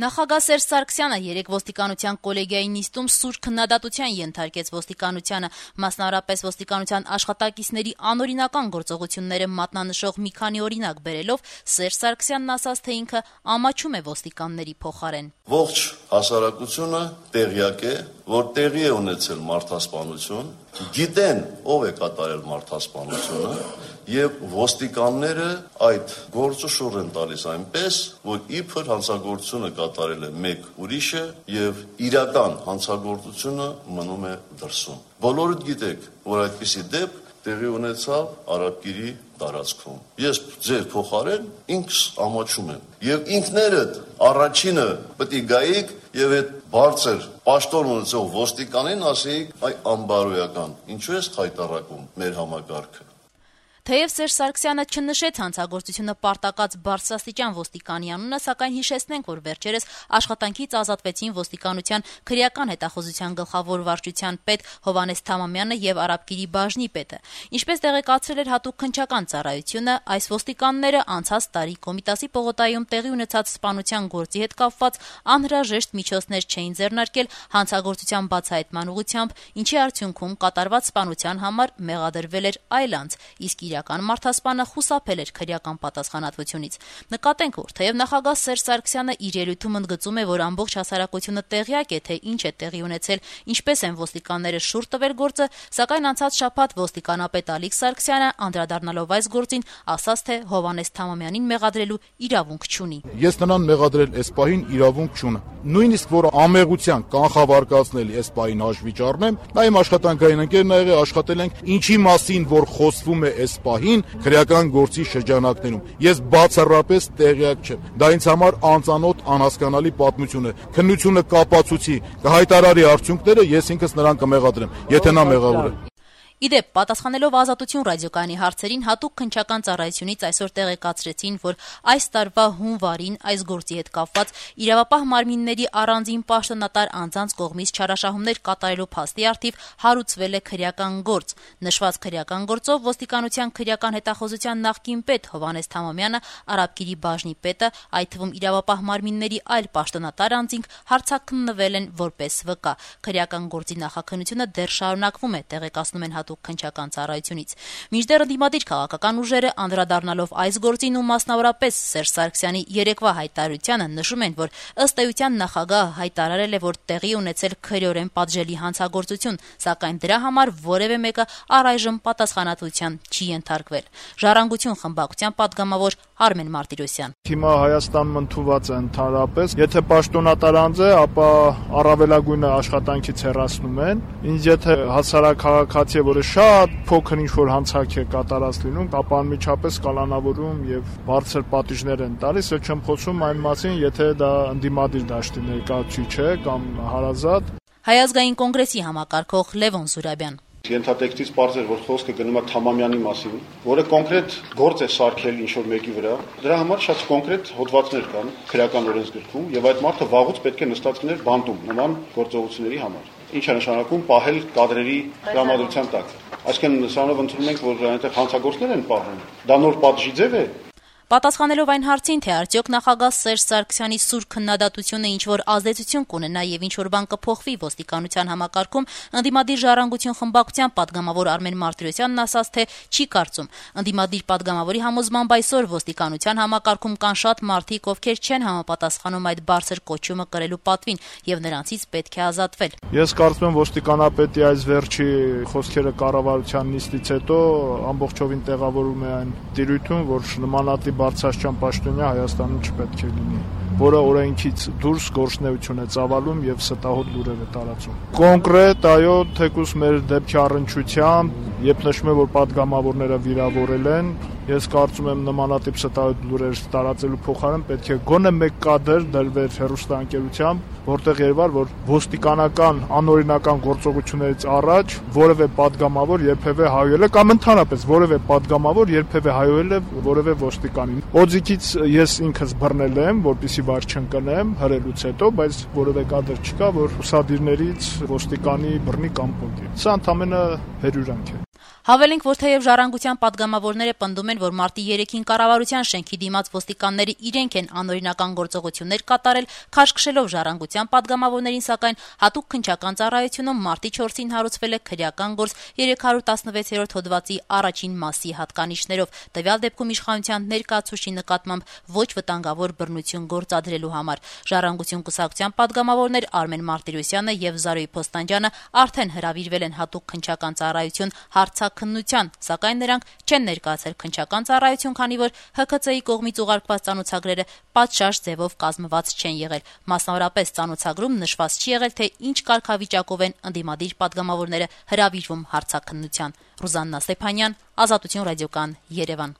Նախագահ Սերժ Սարգսյանը երեկ ոստիկանության կոլեգիայի նիստում սուր քննադատության ենթարկեց ոստիկանությանը, մասնավորապես ոստիկանության աշխատակիցների անօրինական գործողությունները մատնանշող մի քանի օրինակ բերելով, Սերժ Սարգսյանն ասաց, թե ինքը ամաչում է ոստիկանների փոխարեն. Ողջ հասարակությունը տեղյակ է, որ տեղի է ունեցել մարդասպանություն, գիտեն ով է կատարել մարդասպանությունը եւ ոստիկանները այդ գործը շուռ են տալիս այնպես, որ իբր հանցագործությունը կատարել է մեկ ուրիշը եւ իրական հանցագործությունը մնում է դրսում։ Բոլորդ գիտեք, որ այդպիսի դեպք տեղի ունեցավ Արաբկիրի տարածքում։ Ես ձեր փոխարեն ինքս ամաչում եմ եւ ինքներդ առաջինը պետք է գայիք եւ այդ բարձր պաշտոն ունեցող ոստիկանին ասեիք այ անբարոյական, ինչու ես խայտարակում մեր համակարգը։ Թեև Սերժ Սարգսյանը չնշեց հանցագործությունը պարտակած բարձրաստիճան ոստիկանի անունը, սակայն հիշեցնենք, որ վերջերս աշխատանքից ազատվեցին ոստիկանության քրեական հետախուզության գլխավոր վարչության պետ Հովհաննես Թամամյանը եւ Արաբկիրի բաժնի պետը։ Ինչպես տեղեկացրել էր հատուկ քննչական ծառայությունը, այս ոստիկանները անցած տարի Կոմիտասի պողոտայում տեղի ունեցած սպանության գործի հետ կապված անհրաժեշտ միջոցներ չէին ձեռնարկել հանցագործության բացահայտման ուղղությամբ, ինչի արդյունքում կատարված սպանության համար մեղադրվել էր այլ անձ, իսկ իրական մարդասպանը խուսափել էր քրեական պատասխանատվությունից։ Նկատենք, որ թեև նախագահ Սերժ Սարգսյանը իր ելույթում ընդգծում է, որ ամբողջ հասարակությունը տեղյակ է, թե ինչ է տեղի ունեցել, ինչպես են ոստիկանները շուռ տվել գործը, սակայն անցած շաբաթ ոստիկանապետ Ալիկ Սարգսյանը, անդրադառնալով այս գործին, ասաց, թե Հովհաննես Թամամյանին մեղադրելու իրավունք չունի։ Ես նրան մեղադրել այս պահին իրավունք չունեմ։ Նույնիսկ որ ամեղության կանխավարկածնել այս պահին հաշվի չառնեմ, նա իմ աշխատանքային ընկերն ա եղել, աշխատել ենք ինչի մասին, որ խոսվում է այս պահին քրեական գործի շրջանակներում։ Ես բացառապես տեղյակ չեմ։ Դա ինձ համար անծանոթ, անհասկանալի պատմություն է։ Քննությունը կապացուցի, կհայտարարի արդյունքները, ես ինքս նրան կմեղադրեմ, եթե նա մեղավոր է։ Իդեպ, պատասխանելով Ազատություն ռադիոկայանի հարցերին, հատուկ քննչական ծառայությունից այսօր տեղեկացրեցին, որ այս տարվա հունվարին այս գործի հետ կապված իրավապահ մարմինների առանձին պաշտոնատար անձանց կողմից չարաշահումներ կատարելու փաստի առթիվ հարուցվել է քրեական գործ։ Նշված քրեական գործով ոստիկանության քրեական հետախուզության նախկին պետ Հովհաննես Թամամյանը, Արաբկիրի բաժնի պետը, այդ թվում իրավապահ մարմինների այլ պաշտոնատար անձինք հարցաքննվել են որպես վկա։ Քրեական գործի նախաքննությունը դեռ շարունակվում է, տեղեկացնում են քննչական ծառայությունից։ Մինչդեռ ընդդիմադիր քաղաքական ուժերը անդրադառնալով այս գործին ու մասնավորապես Սերժ Սարգսյանի երեկվա հայտարարությանը նշում են, որ ըստ էության նախագահը հայտարարել է, որ տեղի ունեցել քրեորեն պատժելի հանցագործություն, սակայն դրա համար որևէ մեկը առայժմ պատասխանատվության չի ենթարկվել։ Ժառանգություն խմբակցության պատգամավոր Արմեն Մարտիրոսյան. Հիմա Հայաստանում ընդունված է ընդհանրապես, եթե պաշտոնատար անձ է, ապա առավելագույնը աշխատանքից հեռացնում են, ինչ եթե հասարակահայացի որը շատ փոքր ինչ-որ հանցանք է կատարած լինում, ապա անմիջապես կալանավորում եւ բարձր պատիժներ են տալիս, եւ չեմ խոսում այն մասին, եթե դա ընդդիմադիր դաշտի ներկայացուցիչ է կամ հարազատ։ Հայ ազգային կոնգրեսի համակարգող Լևոն Զուրաբյան. Ենթատեքստից պարզ էր, որ խոսքը գնում է Թամամյանի մասին, որը կոնկրետ գործ է սարքել ինչ-որ մեկի վրա։ Դրա համար շատ կոնկրետ հոդվածներ կան քրեական օրենսգրքում, եւ այդ մարդը վաղուց պետք է նստած լիներ բանտում նման գործողությունների համար։ Ինչ է նշանակում պահել կադրերի տրամադրության տակ։ Այսինքն սրանով ընդունում ենք, որ այնտեղ հանցագործներ են պահում։ Դա նոր պատժի ձև է։ Պատասխանելով այն հարցին, թե արդյոք նախագահ Սերժ Սարգսյանի սուր քննադատությունը ինչ-որ ազդեցություն կունենա եւ ինչ-որ բան կփոխվի ոստիկանության համակարգում, ընդդիմադիր ժառանգություն խմբակցության պատգամավոր Արմեն Մարտիրոսյանն ասաց, թե չի կարծում։ Ընդդիմադիր պատգամավորի համոզմամբ այսօր ոստիկանության համակարգում կան շատ մարդիկ, ովքեր չեն համապատասխանում այդ բարձր կոչումը կրելու պատվին եւ նրանցից պետք է ազատվել։ Ես կարծում եմ ոստիկանապետի այս վերջի խոսքերը կառավարության նիստից հետո ամբողջովին տեղավորում է այն դիրույթում, որ նմանատիպ բարձրաստիճան պաշտոնյա Հայաստանում չպետք է լինի, որը օրենքից դուրս գործունեություն է ծավալում եւ ստահոդ լուրեր է տարածում։ Կոնկրետ, այո, թեկուզ մեր դեպքի առնչությամբ, երբ նշում է, որ պատգամավորները վիրավորել են, ես կարծում եմ նմանատիպ ստահոդ լուրեր տարածելու փոխարեն պետք է գոնե մեկ կադր դրվեր հեռուստաընկերությամբ, որտեղ երևար, որ ոստիկանական անօրինական գործողություններից առաջ որևէ պատգամավոր երբևէ հայոել է կամ ընդհանրապես որևէ պատգամավոր երբևէ հայոել է որևէ ոստիկանին։ Օձիքից ես ինքս բռնել եմ, որպեսզի վար չընկնեմ հրելուց հետո, բայց որևէ կադր չկա, որ ուսադիրներից ոստիկանի բռնի կամ պոկի։ Սա ընդամենը հերյուրանք է։ Հավելենք, որ թեև Ժառանգության պատգամավորները պնդում են, որ մարտի 3-ին կառավարության շենքի դիմաց ոստիկանները իրենք են անօրինական գործողություններ կատարել, քաշքշելով Ժառանգության պատգամավորներին, սակայն հատուկ քննչական ծառայությունում մարտի 4-ին հարուցվել է քրեական գործ 316-րդ հոդվածի առաջին մասի հատկանիշներով, տվյալ դեպքում իշխանության ներկայացուցչի նկատմամբ ոչ վտանգավոր բռնություն գործադրելու համար։ Ժառանգություն կուսակցության պատգամավորներ Արմեն Մարտիրոսյանը եւ Զարուհի Փոստանջյանը արդեն հրավիրվել են հատուկ քննչական ծառայություն հարցաքննության, սակայն նրանք չեն ներկայացել քննչական ծառայություն, քանի որ ՀՔՑ-ի կողմից ուղարկված ծանոթագրերը պատշաճ ձևով կազմված չեն եղել։ Մասնավորապես ծանոթագրում նշված չի եղել, թե ինչ կարգավիճակով են ընդդիմադիր պատգամավորները հրավիրվում հարցաքննության։ Ռուզաննա Ստեփանյան, Ազատություն ռադիոկան, Երևան։